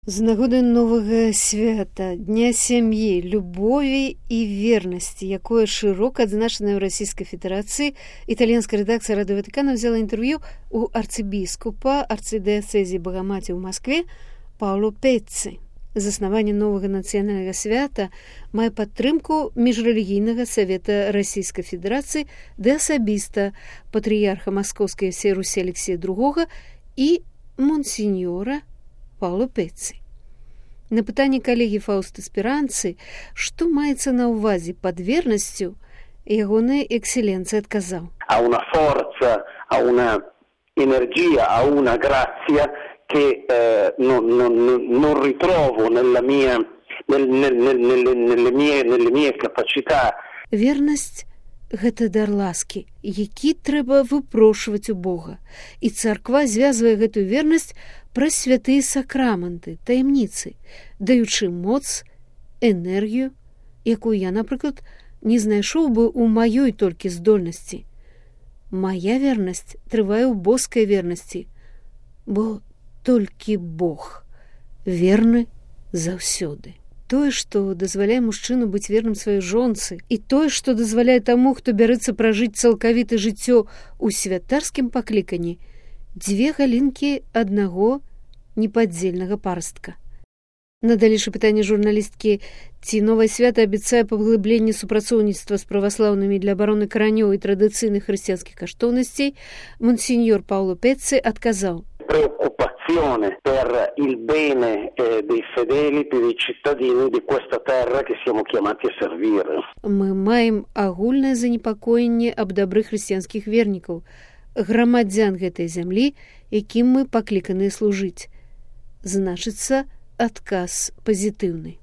З нагоды новага свята, Дня сям'і, любові і вернасці, якое шырока адзначанае ў Расійскай Федэрацыі, італьянская рэдакцыя Радыё Ватыкана взяла інтэрв'ю у арцыбіскупа арцыдыяцэзі Багамаці ў Маскве Пауло Пецци. Заснаванне новага нацыянальнага свята мае падтрымку міжрэлігійнага савета Расійскай Федэрацыі ды асабіста патрыярха Маскоўскай ўсёй Русі Алексея II і монсеньора Пауло Пецци. На пытанне калегі Фаусты Спіранцы, што маецца на ўвазе пад вернасцю, ягоная экселенцыя адказаў. Ha una forza, ha una energia, ha una grazia che non ritrovo nelle mie capacità. Вернасць гэта дар ласкі, які трэба выпрошваць у Бога. І царква звязвае гэтую вернасць праз святыя сакраманты, таямніцы, даючы моц, энергію, якую я, напрыклад, не знайшоў бы ў маёй толькі здольнасці. Мая вернасць трывае ў боскай вернасці, бо толькі Бог верны заўсёды. Тое, што дазваляе мужчыну быць верным сваёй жонцы, і тое, што дазваляе таму, хто бярэцца пражыць цалкавіта жыццё ў святарскім пакліканні, дзве галінкі аднаго непадзельнага парастка. На далейшае пытанне журналісткі, ці новае свята абяцае паглыбленне супрацоўніцтва з праваслаўнымі для абароны каранёў і традыцыйных хрысціянскіх каштоўнасцей, монсеньор Пауло Пецци адказаў. Preoccupazione per il bene dei fedeli, dei cittadini di questa terra che siamo chiamati a servire. Мы маем агульнае занепакоенне аб дабры хрысціянскіх вернікаў, грамадзян гэтай зямлі, якім мы пакліканыя служыць. Значыцца, адказ пазітыўны.